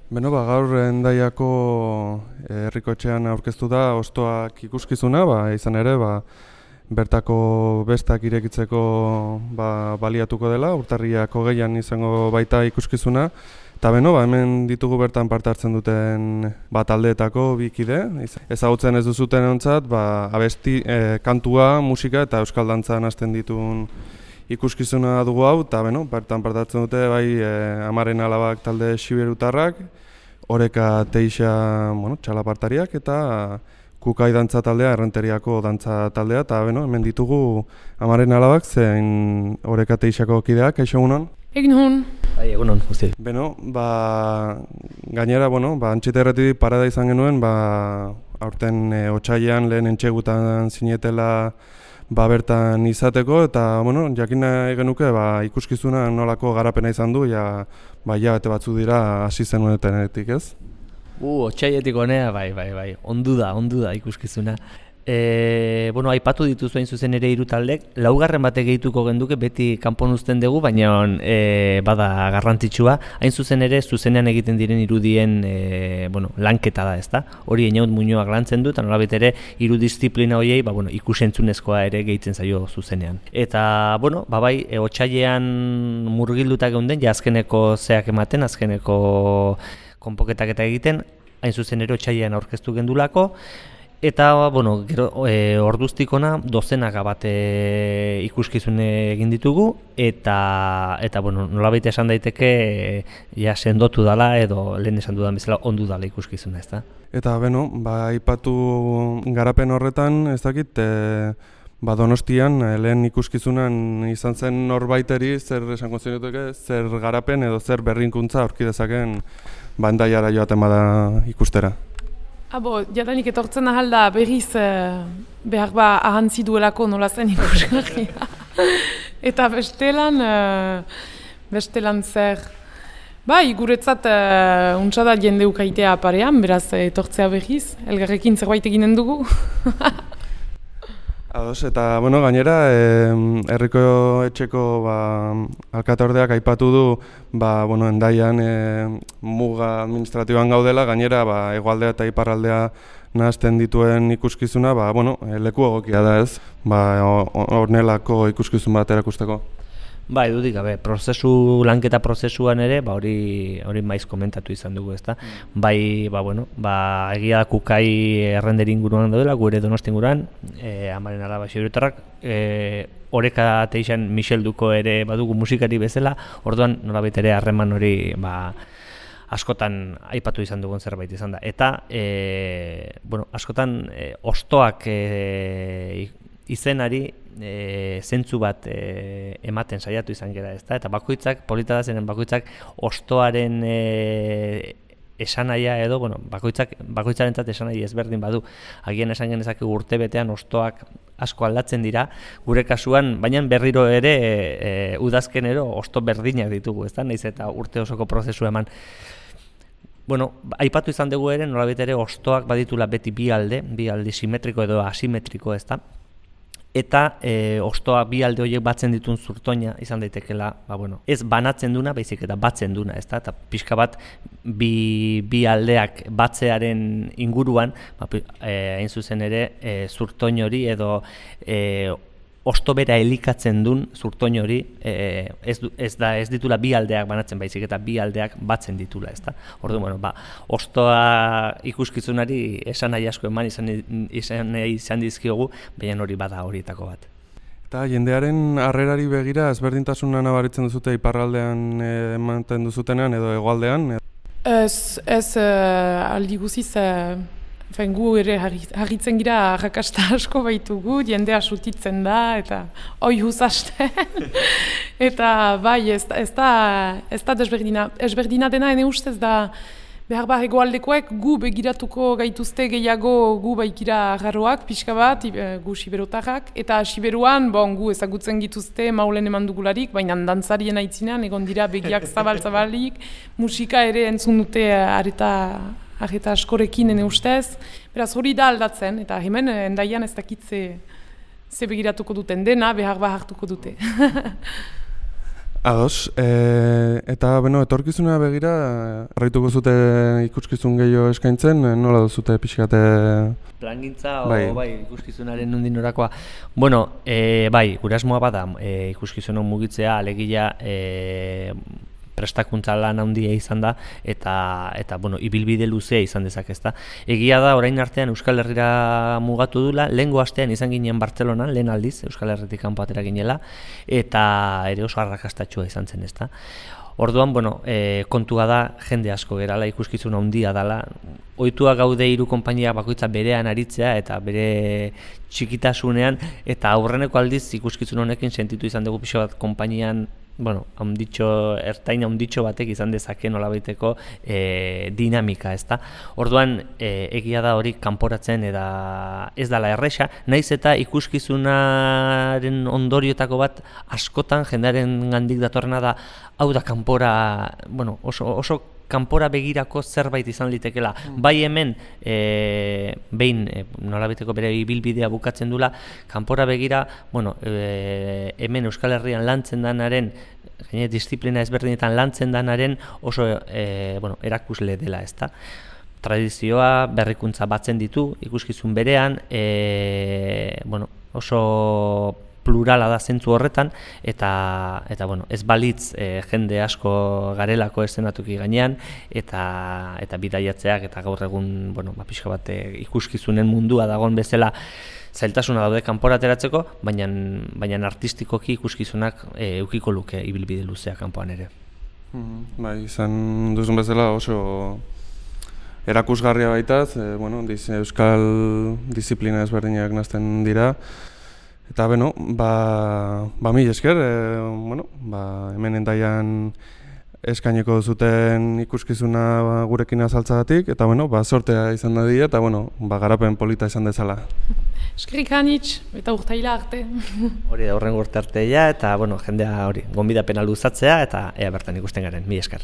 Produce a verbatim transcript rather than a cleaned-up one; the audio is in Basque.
Beno, ba, gaur Hendaiako herrikotxean aurkeztu da Hostoak ikuskizuna, ba, izan ere, ba, bertako bestak irekitzeko ba, baliatuko dela, urtarriak hogeian izango baita ikuskizuna. Eta beno, ba, hemen ditugu bertan parte hartzen duten ba, taldeetako bi kide. Ezagutzen ez duzuten ontzat, ba, abesti, e, kantua, musika eta euskal dantzan hasten ditun ikuskizuna dugu hau, eta beno, bertan parte hartzen dute bai e, Amaren Alabak talde xiberutarrak, Oreka Teixa bueno, txalapartariak eta Kukai dantza taldea, Errenteriako dantza taldea, eta beno, hemen ditugu Amaren Alabak zein Oreka Teixako kideak, kaixo egunon? Egin hon. Bai, egunon, guzti. Beno, ba, gainera, bueno, ba, Antxeta Erretitik parada izan genuen, ba, aurten e, otsailean lehen entxegutan zinetela ba, bertan izateko, eta bueno, jakin nahi genuke ba, ikuskizuna nolako garapena izan du, ja, ba, hilabete batzu dira hasi zenuetenetik, ez? Uh, otsailetik honea, bai, bai, bai, ondu da, ondu da ikuskizuna. E, bueno, aipatu dituzu hain zuzen ere hiru taldek, laugarren bate gehituko genduke beti kanpon uzten dugu, baina e, bada garrantzitsua, hain zuzen ere zuzenean egiten diren irudien e, bueno, lanketa da, ezta? Hori Einaut Muñoak lantzen du, eta nolabait ere hiru diziplina horiei ba, bueno, ikusentzunezkoa ere gehitzen zaio zuzenean. Eta, bueno, ba, bai, e, otsailean murgilduta geunden, ja azkeneko zeak ematen, azkeneko konpoketak eta egiten, hain zuzen ere otsailean aurkeztu gendulako. Eta, bueno, gero, e, orduztikona dozenaka bat e, ikuskizune egin ditugu, eta, eta bueno, nolabait esan daiteke e, ja sendotu dala edo lehen esan dudan bezala ondu dala ikuskizuna, ezta? Eta, beno, ba, aipatu garapen horretan, ez dakit, e, ba, Donostian, lehen ikuskizunan izan zen norbaiteri zer esango zenuteke, zer garapen edo zer berrinkuntza aurki dezaken ba, Hendaiara joaten bada ikustera. Abo, jadanik etortzen ahalda berriz eh, behar ba ahantzi duelako nola zen ikusgarria. Eta bestelan, eh, bestelan zer. Bai, guretzat eh, untsa da jende ukaitea parean, beraz etortzea berriz, elgarrekin zerbait eginen dugu. Ados, eta bueno, gainera, eh, herriko etxeko ba, alkateordeak aipatu du ba, bueno, Hendaian eh, muga administratiboan gaudela, gainera ba, hegoaldea eta iparraldea nahazten dituen ikuskizuna, ba, bueno, leku egokia da ez, ba, honelako ikuskizun bat erakusteko. Bai, dudik gabe, prozesu, lanketa prozesuan ere, ba hori hori maiz komentatu izan dugu, ezta? Mm. Bai, ba bueno, ba egia da Kukai Errenderi inguruan daudela, gure Donosti inguruan, eh Amaren Alaba xiberutarrak, eh Oreka Teixan Michel Duko ere badugu musikari bezala, orduan nolabait ere harreman hori ba askotan aipatu izan dugun zerbait izan da. Eta e, bueno, askotan e, Hostoak e, izenari e, zentzu bat e, ematen saiatu izan gara, ezta? Eta bakoitzak, polita da zenen bakoitzak Hostoaren e, esanahia edo, bueno, bakoitzak, bakoitzarentzat esanahi ezberdin badu. Agian esan genezake urte betean Hostoak asko aldatzen dira, gure kasuan, baina berriro ere e, e, udazkenero Hosto berdinak ditugu, ezta? Naiz eta urte osoko prozesu eman. Bueno, aipatu izan dugu ere, nolabait ere Hostoak baditula beti bi alde, bi alde simetriko edo asimetriko, ezta? Eta e, Hostoa bi alde horiek batzen ditun zurtoina izan daitekela, ba, bueno, ez banatzen duna, baizik eta batzen duna, ezta? Eta pixka bat bi, bi aldeak batzearen inguruan, ba, e, hain zuzen ere, e, zurtoin hori edo e, Hosto bera elikatzen duen zurtoin hori e, ez, du, ez, da, ez ditula bi aldeak banatzen baizik eta bi aldeak batzen ditula, ezta? Orduan, bueno, ba, Hostoa ikuskizunari esan nahi asko eman izan, izan, izan dizkiogu, baina hori bada horietako bat. Eta jendearen harrerari begira ezberdintasuna nabaritzen duzute iparraldean ematen duzutenean edo hegoaldean? Ez, ez uh, aldi guziz, uh, fen, gu ere harritzen gira arrakasta asko baitugu, jendea sutitzen da, eta oi huzasten. Eta bai, ez, ez da, ez da desberdina. Ezberdina dena ene ustez da, behar behar egoaldekoek gu begiratuko gaituzte gehiago gu baikira garroak, pixka bat, gu siberotarrak, eta siberuan, bon, gu ezagutzen gituzte maulen eman dugularik, baina dantzarien aitzinean, egon dira begiak zabal-zabalik, musika ere entzun dute areta, areta askorekin ene ustez, beraz hori da aldatzen, eta hemen Hendaian ez dakitze ze begiratuko duten dena, behar behar hartuko dute. Ados, e, eta beno, etorkizuna begira, harrituko zute ikuskizun gehiago eskaintzen, nola duzute pixkate... Plangintza, o, bai, bai ikuskizunaren nondik norakoa. Bueno, e, bai, gure asmoa bada e, ikuskizunon mugitzea, alegia e, prestakuntza lan handia izan da, eta, eta bueno, ibilbide luzea izan dezak, ezta. Egia da, orain artean Euskal Herrira mugatu dula, lehengo astean izan ginen Bartzelonan, lehen aldiz, Euskal Herritik kanpo atera ginela, eta ere oso arrakastatxua izan zen, ezta. Orduan, bueno, e, kontua da jende asko gerala, ikuskizun handia dela. Ohitua gaude hiru konpainia bakoitza berean aritzea eta bere txikitasunean, eta aurreneko aldiz ikuskizun honekin sentitu izan dugu pixo bat konpainian, bueno, handitxo, ertain handitxo batek izan dezake nolabaiteko e, dinamika, ezta. Orduan, e, egia da hori kanporatzen eta ez dela erresa, naiz eta ikuskizunaren ondorioetako bat askotan jendearen gandik datorrena da, hau da kanpora, bueno, oso, oso kanpora begirako zerbait izan litekela. Mm. Bai hemen, e, behin e, nolabaiteko bere ibilbidea bukatzen dula, kanpora begira, bueno, e, hemen Euskal Herrian lantzen danaren, gaine disiplina ezberdinetan lantzen danaren oso e, bueno, erakusle dela, ezta. Tradizioa, berrikuntza batzen ditu, ikuskizun berean, e, bueno, oso plurala da zentzu horretan, eta, eta bueno, ez balitz e, jende asko garelako eszenatuki gainean, eta, eta bidaiatzeak, eta gaur egun, bueno, ba, pixka bat ikuskizunen mundua dagoen bezala zailtasuna daude kanpora ateratzeko, baina, baina artistikoki ikuskizunak e, eukiko luke ibilbide luzea kanpoan ere. Mm, bai, izan duzun bezala oso erakusgarria baitaz, e, bueno, diz, euskal disiplina ezberdinak nazten dira, eta beno, ba, ba mil esker, e, bueno, ba, hemen endaian eskaineko zuten ikuskizuna ba, gurekin azaltzagatik, eta bueno, ba, sortea izan da dira, eta bueno, ba, garapen polita izan dezala. Eskerrik anitz, eta urtaila arte. Hori da, horren urte arteia, eta bueno, jendea hori, gonbidapena luzatzea, eta ea bertan ikusten garen, mil esker.